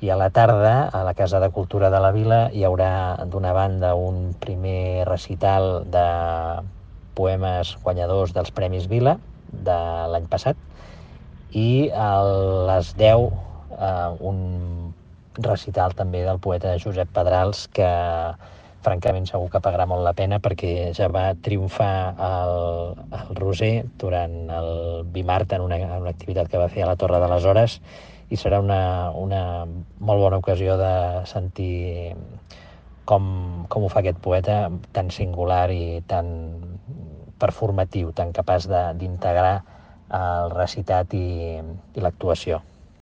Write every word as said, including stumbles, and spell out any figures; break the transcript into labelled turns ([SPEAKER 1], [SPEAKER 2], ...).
[SPEAKER 1] I a la tarda, a la Casa de Cultura de la Vila, hi haurà d'una banda un primer recital de poemes guanyadors dels Premis Vila de l'any passat, i a les deu eh, un recital també del poeta Josep Pedrals, que francament segur que pagarà molt la pena, perquè ja va triomfar al, al Roser durant el Bimart en una, en una activitat que va fer a la Torre de les Hores, i serà una, una molt bona ocasió de sentir com, com ho fa aquest poeta tan singular i tan performatiu, tan capaç d'integrar el recitat i, i l'actuació.